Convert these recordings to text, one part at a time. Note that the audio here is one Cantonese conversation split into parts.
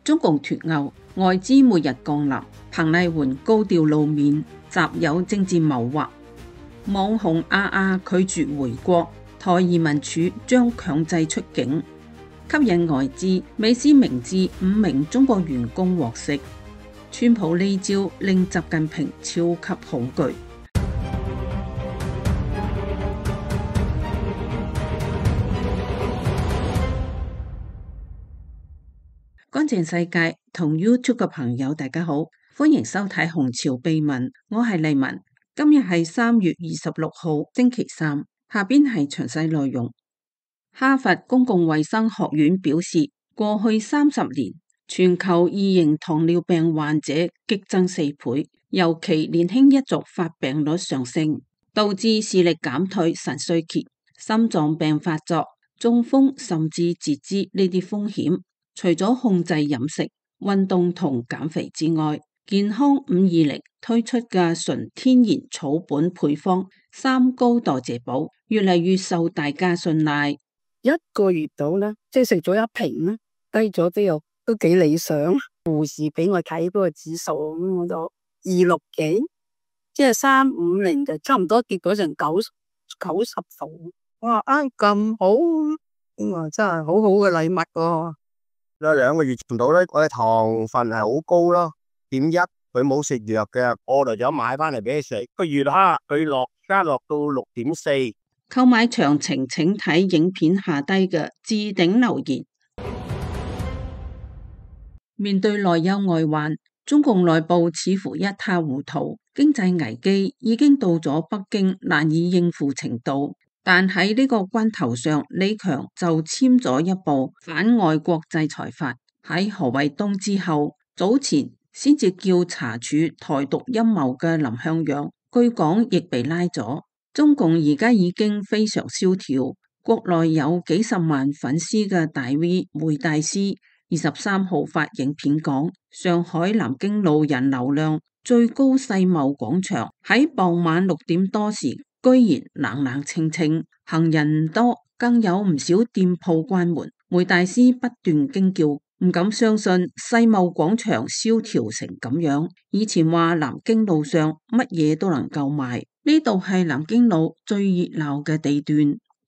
中共脫歐，外資每日降臨，彭麗媛高調露面，習有政治謀劃。網紅拒絕回國，台移民署將強制出境，吸引外資。美斯明知5名中國員工獲釋，川普呢招令習近平超級恐懼。乾淨世界同 YouTube 嘅朋友大家好，歡迎收睇紅潮秘聞，我係麗文。今日係3月26號星期三，下邊係詳細內容。哈佛公共衛生學院表示，過去30年全球2型糖尿病患者激增4倍，尤其年輕一族發病率上升，導致視力減退、腎衰竭、心臟病發作、中風甚至截肢呢啲風險。除咗控制飲食、運動同減肥之外，健康520推出嘅純天然草本配方3高代謝寶越嚟越受大家信賴。1個月到啦，即係食咗1瓶啦，低咗都幾理想。護士俾我睇嗰個指數，我就260幾，即係350就差唔多，結果成90度。哇，咁好，哇，真係好好嘅禮物喎。2個月唔到咧，我嘅糖分係好高咯，0.1，佢冇食藥嘅，我就想買翻嚟俾佢食。個月哈，佢加落到6.4。購買詳情請睇影片下低嘅置頂留言。面對內憂外患，中共內部似乎一塌糊塗，經濟危機已經到咗北京難以應付程度。但喺呢個關頭上，李強就簽咗一部反外國制裁法。喺何衛東之後，早前先至叫查處台獨陰謀嘅林向陽，據講亦被拉咗。中共而家已經非常蕭條，國內有幾十萬粉絲嘅大 V 梅大師23號發影片講，上海南京路人流量最高世貿廣場喺傍晚6點多時居然冷冷清清，行人唔多，更有唔少店鋪關門。梅大師不斷驚叫，唔敢相信世貿廣場蕭條成咁樣。以前話南京路上乜嘢都能夠賣，呢度係南京路最熱鬧嘅地段。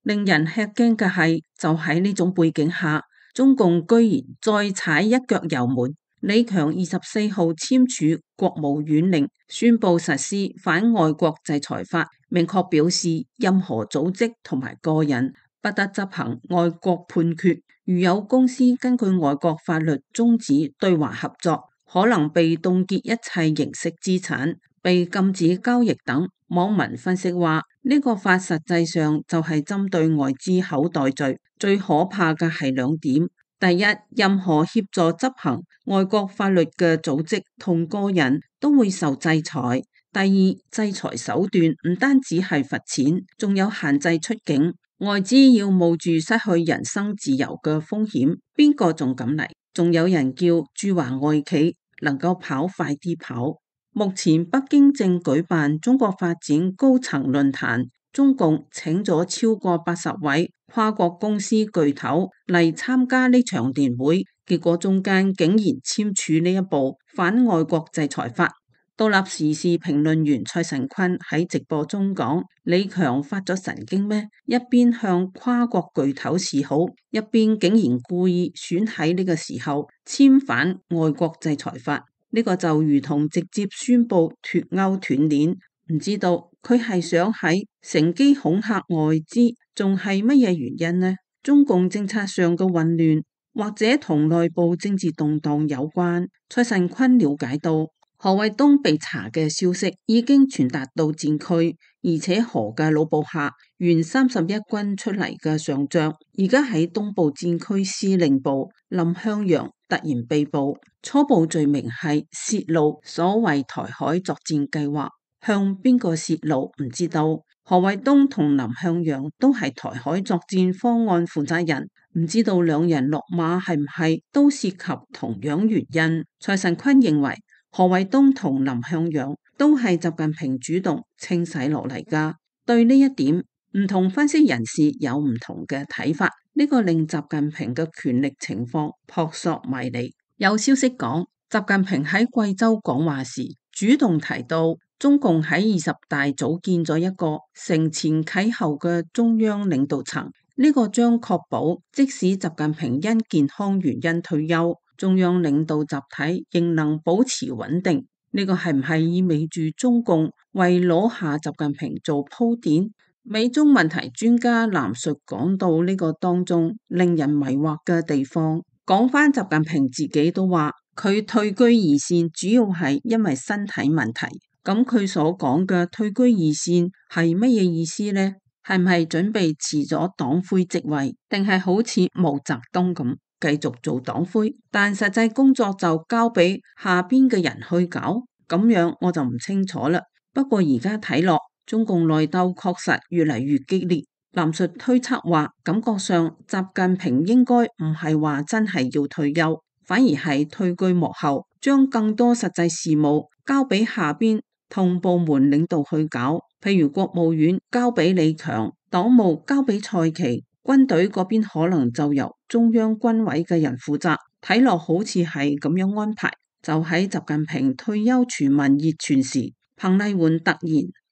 令人吃驚嘅係，就喺呢種背景下，中共居然再踩一腳油門。李強24號簽署國務院令，宣布實施反外國制裁法，明確表示任何組織同埋個人不得執行外國判決。如有公司根據外國法律終止對華合作，可能被凍結一切形式資產，被禁止交易等。網民分析話，呢個法實際上就係針對外資口袋罪。最可怕嘅係2點。第一，任何協助執行外國法律嘅組織同個人都會受制裁。第二，制裁手段唔單止係罰錢，仲有限制出境。外資要冒住失去人身自由嘅風險，邊個仲敢嚟？仲有人叫駐華外企能夠跑快啲跑。目前北京正舉辦中國發展高層論壇，中共請咗超過80位跨國公司巨頭嚟參加呢場年會，結果中間竟然簽署呢一部反外國制裁法。獨立時事評論員蔡慎坤喺直播中講，李強發咗神經咩？一邊向跨國巨頭示好，一邊竟然故意選喺呢個時候簽反外國制裁法，呢個就如同直接宣布脫歐斷鏈。唔知道佢係想喺乘機恐嚇外資，仲係乜嘢原因呢？中共政策上嘅混亂，或者同內部政治動盪有關。蔡慎坤了解到，何衛東被查嘅消息已經傳達到戰區，而且何嘅老部下原31軍出嚟嘅上將，而家喺東部戰區司令部林向陽突然被捕，初步罪名係泄露所謂台海作戰計劃。向邊個泄露唔知道。何衛東同林向陽都係台海作戰方案負責人，唔知道兩人落馬係唔係都涉及同樣原因。蔡慎坤認為何衛東同林向陽都係習近平主動清洗落嚟㗎。對呢一點，唔同分析人士有唔同嘅睇法，呢個令習近平嘅權力情況撲朔迷離。有消息講，習近平喺貴州講話時，主動提到中共喺20大組建咗一個承前啟後嘅中央領導層，呢個將確保即使習近平因健康原因退休，中央領導集體仍能保持穩定。呢個係唔係意味住中共為攞下習近平做鋪墊？美中問題專家藍述講到呢個當中令人迷惑嘅地方。講返習近平自己都話，佢退居二線主要係因為身體問題。咁佢所講嘅退居二線係乜嘢意思呢？係唔係準備辭咗黨魁職位，定係好似毛澤東咁繼續做黨魁，但實際工作就交俾下邊嘅人去搞？咁樣我就唔清楚啦。不過而家睇落，中共內鬥確實越嚟越激烈。藍述推測話，感覺上習近平應該唔係話真係要退休，反而係退居幕後，將更多實際事務交俾下邊同部門領導去搞，譬如國務院交俾李強，黨務交俾蔡奇，軍隊嗰邊可能就由中央軍委嘅人負責。睇落好似係咁樣安排。就喺習近平退休傳聞熱傳時，彭麗媛突然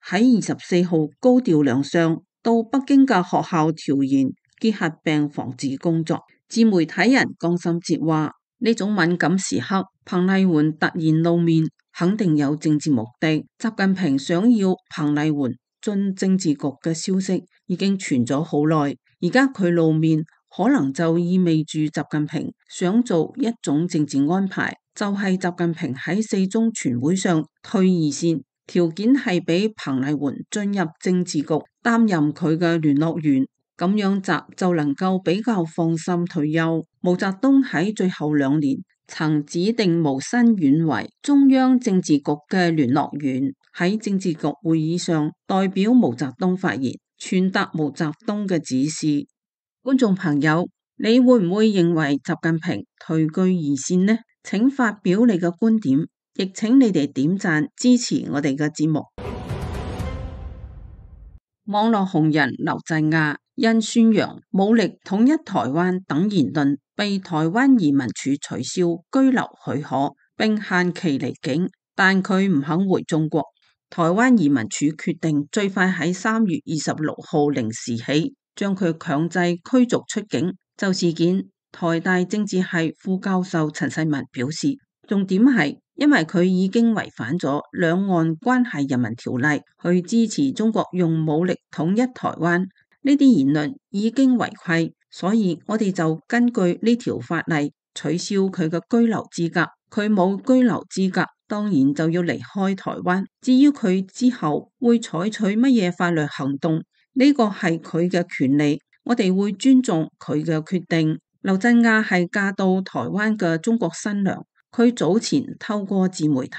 喺24號高調亮相，到北京嘅學校調研結核病防治工作。自媒體人江心哲話，呢種敏感時刻，彭麗媛突然露面，肯定有政治目的。習近平想要彭麗媛進政治局嘅消息已經傳咗好耐，而家佢露面，可能就意味住習近平想做一種政治安排，就係習近平喺4中全會上退二線，條件係俾彭麗媛進入政治局擔任佢嘅聯絡員，咁樣習就能夠比較放心退休。毛澤東喺最後2年曾指定毛新遠為中央政治局嘅聯絡員，喺政治局會議上代表毛澤東發言，傳達毛澤東嘅指示。觀眾朋友，你會唔會認為習近平退居二線呢？請發表你嘅觀點，亦請你哋點讚支持我哋嘅節目。網絡紅人劉振亞因宣揚武力統一台灣等言論，被台灣移民署取消居留許可，並限期離境，但佢唔肯回中國。台灣移民署決定最快喺3月26號零時起，將佢強制驅逐出境。就事件，台大政治系副教授陳世文表示，重點係因為佢已經違反咗兩岸關係人民條例，去支持中國用武力統一台灣，呢啲言論已經違規，所以我哋就根據呢條法例取消佢嘅居留資格。佢冇居留資格，當然就要離開台灣。至於佢之後會採取乜嘢法律行動，呢個係佢嘅權利，我哋會尊重佢嘅決定。劉振亞係嫁到台灣嘅中國新娘，佢早前透過自媒體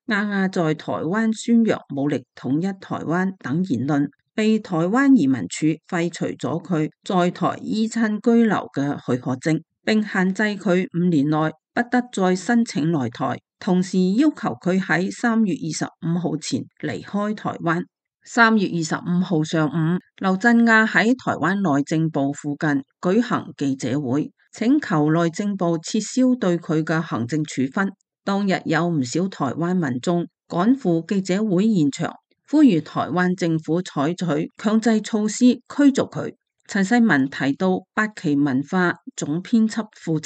亞亞在台灣宣揚武力統一台灣等言論，被台灣移民署廢除咗佢在台依親居留嘅許可證，並限制佢5年內不得再申請來台，同時要求佢喺3月25號前離開台灣。3月25號上午，劉振亞喺台灣內政部附近舉行記者會，請求內政部撤銷對佢嘅行政處分。當日有唔少台灣民眾趕赴記者會現場，呼籲台灣政府採取強制措施驅逐佢。陳世文提到八旗文化總編輯傅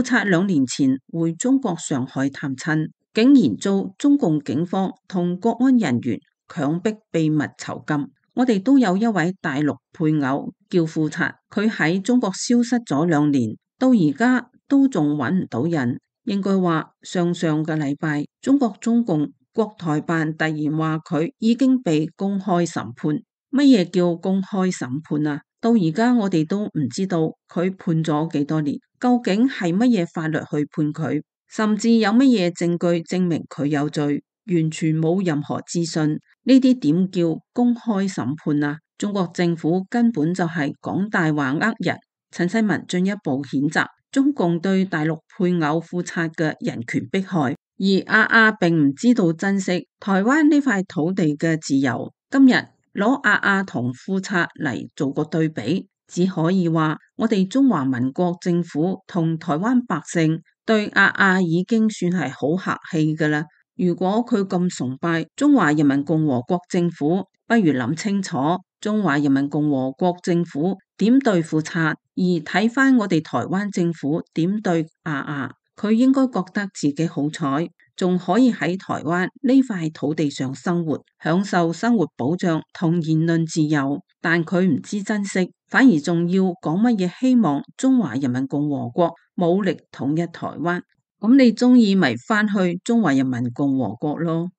策2年前回中國上海探親，竟然遭中共警方同國安人員強迫秘密囚禁。我哋都有一位大陸配偶叫傅策，佢喺中國消失咗2年，到而家都仲揾唔到人。應該話上個禮拜，中共國台辦突然話佢已經被公開審判。乜嘢叫公開審判啊？到而家我哋都唔知道佢判咗幾多年，究竟係乜嘢法律去判佢，甚至有乜嘢證據證明佢有罪，完全冇任何資訊。呢啲點叫公開審判啊？中國政府根本就係講大話呃人。陳世文進一步譴責中共對大陸配偶傅策嘅人權迫害，而亞亞並唔知道珍惜台灣呢塊土地嘅自由。今日攞亞亞同傅策嚟做個對比，只可以話我哋中華民國政府同台灣百姓對亞亞已經算係好客氣㗎喇。如果佢咁崇拜中華人民共和國政府，不如諗清楚中華人民共和國政府點對付賊，而睇返我哋台灣政府點對亞亞。佢應該覺得自己好彩，仲可以喺台灣呢塊土地上生活，享受生活保障同言論自由。但佢唔知珍惜，反而仲要講乜嘢希望中華人民共和國武力統一台灣。咁你中意咪返去中華人民共和國咯？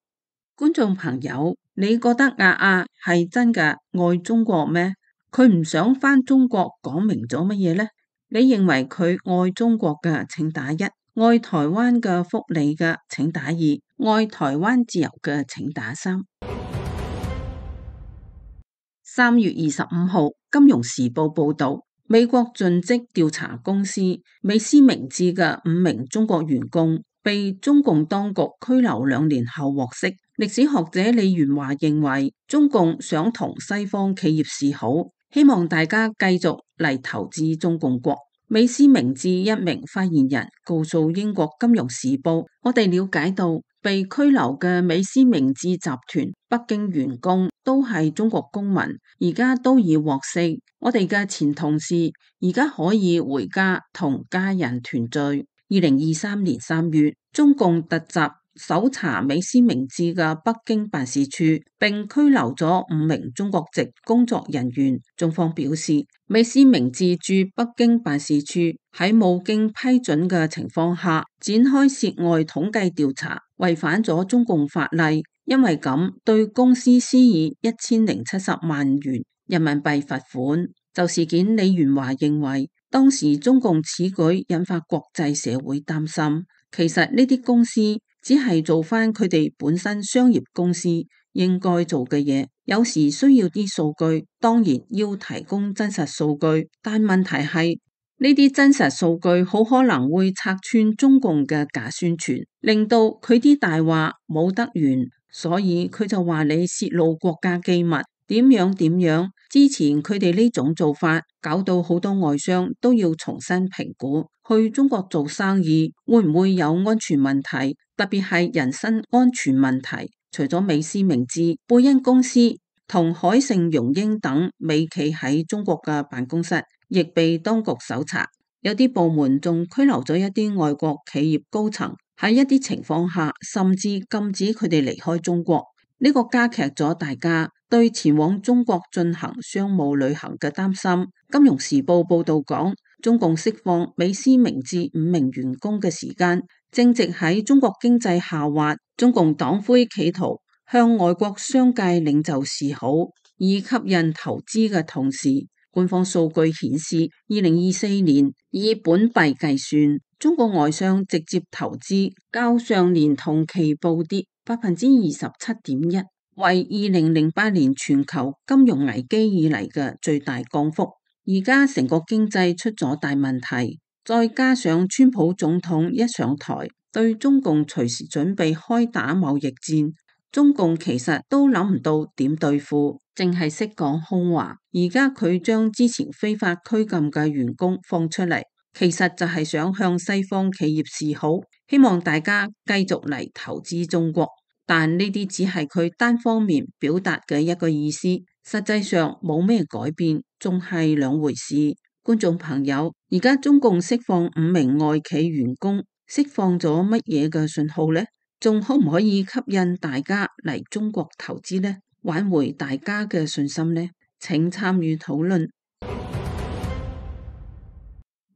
觀眾朋友，你覺得亞亞係真嘅愛中國咩？佢唔想返中國講明咗乜嘢呢？你認為佢愛中國嘅請打1，愛台灣嘅福利嘅請打2，愛台灣自由嘅請打3。3月25號，《金融時報》報道，美國盡職調查公司美思明智嘅5名中國員工被中共當局拘留2年後獲釋。歷史學者李元華認為，中共想同西方企業示好，希望大家繼續嚟投資中共國。美思明智一名發言人告訴英國《金融時報》，我哋了解到被拘留嘅美思明智集團北京員工都係中國公民，而家都已獲釋。我哋嘅前同事而家可以回家同家人團聚。2023年3月，中共突襲搜查美思明智嘅北京辦事處，並拘留咗5名中國籍工作人員。中方表示，美思明智駐北京辦事處喺冇經批准嘅情況下展開涉外統計調查，違反咗中共法例，因為咁對公司施以1070萬元人民幣罰款。就事件，李元華認為，當時中共此舉引發國際社會擔心，其實呢啲公司只係做翻佢哋本身商業公司應該做嘅嘢，有時需要啲數據，當然要提供真實數據，但問題係呢啲真實數據好可能會拆穿中共嘅假宣傳，令到佢啲大話冇得完，所以佢就話你泄露國家機密，點樣點樣。之前佢哋呢種做法搞到好多外商都要重新評估去中國做生意會唔會有安全問題，特別係人身安全問題。除咗美思明智、貝恩公司同海盛榮英等美企喺中國嘅辦公室亦被當局搜查，有啲部門仲拘留咗一啲外國企業高層，喺一啲情況下甚至禁止佢哋離開中國。呢個加劇咗大家對前往中國進行商務旅行嘅擔心。金融時報報道講，中共釋放美思明智5名員工嘅時間，正值喺中國經濟下滑，中共黨魁企圖向外國商界領袖示好，以吸引投資嘅同時，官方數據顯示，2024年以本幣計算，中國外商直接投資較上年同期暴跌27.1%，為2008年全球金融危機以嚟嘅最大降幅。而家成個經濟出咗大問題，再加上川普總統一上台，對中共隨時準備開打貿易戰，中共其實都諗唔到點對付，淨係識講空話。而家佢將之前非法拘禁嘅員工放出嚟，其實就係想向西方企業示好，希望大家繼續嚟投資中國。但呢啲只係佢單方面表達嘅一個意思，實際上冇咩改變，仲係兩回事。觀眾朋友，而家中共釋放5名外企員工，釋放咗乜嘢嘅信號呢？仲可唔可以吸引大家嚟中國投資呢？挽回大家嘅信心呢？請參與討論。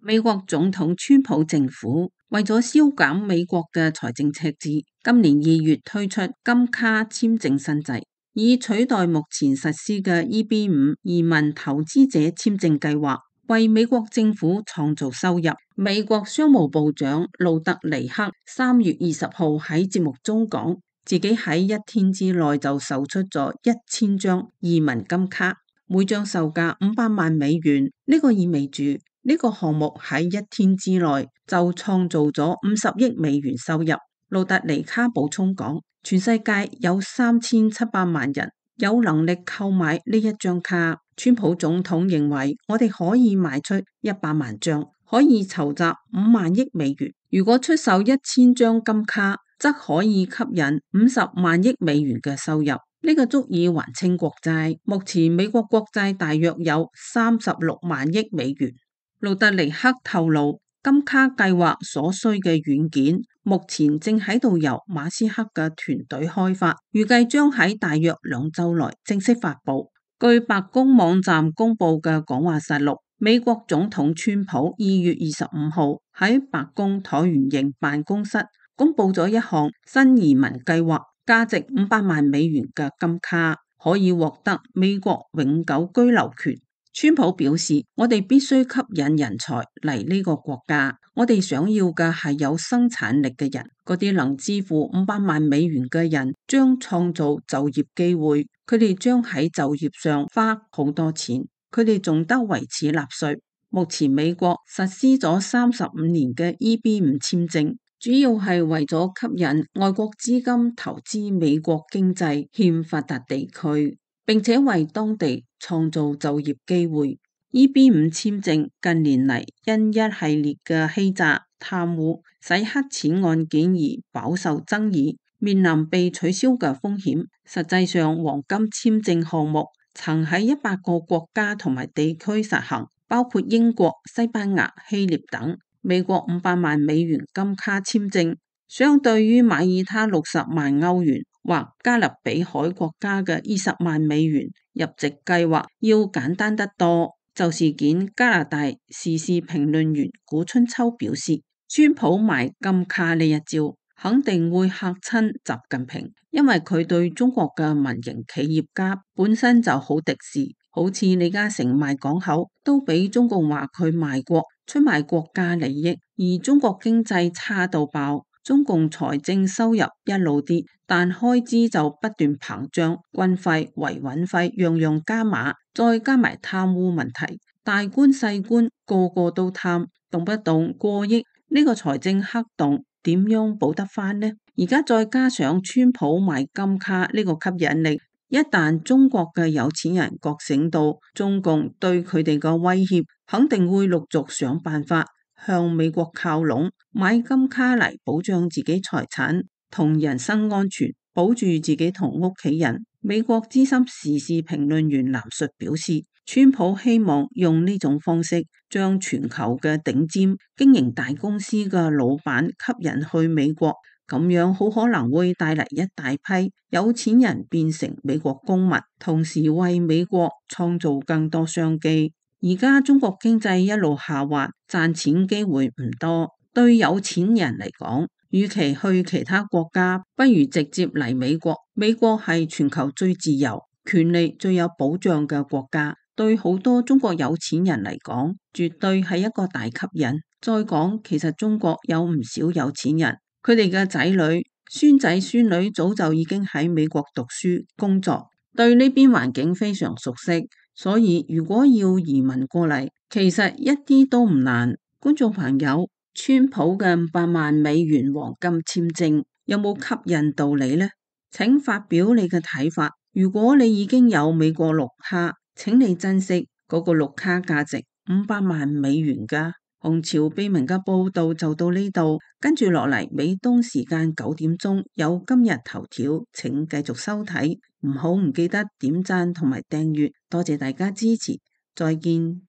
美國總統川普政府為咗削減美國嘅財政赤字，今年2月推出金卡簽證新制，以取代目前實施嘅 EB5 移民投資者簽證計劃，為美國政府創造收入。美國商務部長路德尼克3月20號喺節目中講，自己喺1天之內就售出咗1000張移民金卡，每張售價500萬美元。呢個意味住呢個項目喺1天之內就創造咗50億美元收入。路德尼克補充講，全世界有3700萬人有能力購買呢一張卡。川普總統認為我哋可以賣出100萬張，可以籌集$50,000,000。如果出售1000張金卡，則可以吸引$500,000,000嘅收入。呢個足以還清國債。目前美國國債大約有$36,000,000,000。路德尼克透露，金卡計劃所需嘅軟件目前正喺度由馬斯克嘅團隊開發，預計將喺大約2週內正式發佈。據白宮網站公布嘅講話實錄，美國總統川普2月25號喺白宮橢圓形辦公室公布咗一項新移民計劃，價值$500,000,000嘅金卡，可以獲得美國永久居留權。川普表示，我哋必須吸引人才嚟呢個國家，我哋想要嘅係有生產力嘅人，嗰啲能支付$500,000,000嘅人將創造就業機會，佢哋將喺就業上花好多錢，佢哋仲得為此納稅。目前美國實施咗35年嘅 EB-5 簽證，主要係為咗吸引外國資金投資美國經濟欠發達地區，並且為當地創造就業機會。EB-5 簽證近年嚟因一系列嘅欺詐、貪污、洗黑錢案件而飽受爭議，面臨被取消嘅風險。實際上，黃金簽證項目曾喺100個國家同埋地區實行，包括英國、西班牙、希臘等。美國$500,000金卡簽證，相對於馬耳他60萬歐元或加勒比海國家嘅20萬美元，入籍計劃要簡單得多。就事件，加拿大時事評論員古春秋表示，川普賣金卡呢一招肯定會嚇親習近平，因為佢對中國嘅民營企業家本身就好敵視，好似李嘉誠賣港口都俾中共話佢賣國，出賣國家利益，而中國經濟差到爆。中共財政收入一路跌，但開支就不斷膨脹，軍費、維穩費樣樣加碼，再加埋貪污問題，大官細官個個都貪，動不動過億，呢個財政黑洞點樣補得翻呢？而家再加上川普賣金卡呢個吸引力，一旦中國嘅有錢人覺醒到中共對佢哋嘅威脅，肯定會陸續想辦法向美國靠攏，買金卡嚟保障自己財產同人身安全，保住自己同屋企人。美國資深時事評論員藍述表示，川普希望用呢種方式將全球嘅頂尖經營大公司嘅老闆吸引去美國，咁樣好可能會帶嚟一大批有錢人變成美國公民，同時為美國創造更多商機。而家中國經濟一路下滑，賺錢機會唔多，對有錢人嚟講，與其去其他國家，不如直接嚟美國。美國係全球最自由、權利最有保障嘅國家，對好多中國有錢人嚟講，絕對係一個大吸引。再講，其實中國有唔少有錢人，佢哋嘅仔女、孫仔、孫女早就已經喺美國讀書、工作，對呢邊環境非常熟悉。所以如果要移民過嚟，其實一啲都唔難。觀眾朋友，川普嘅$500,000黃金簽證有冇吸引到你呢？請發表你嘅睇法。如果你已經有美國綠卡，請你珍惜嗰個綠卡價值$500,000㗎。紅潮秘聞嘅報道就到呢度，跟住落嚟美東時間9點鐘有今日頭條，請繼續收睇，唔記得點讚同埋訂閱，多謝大家支持，再見。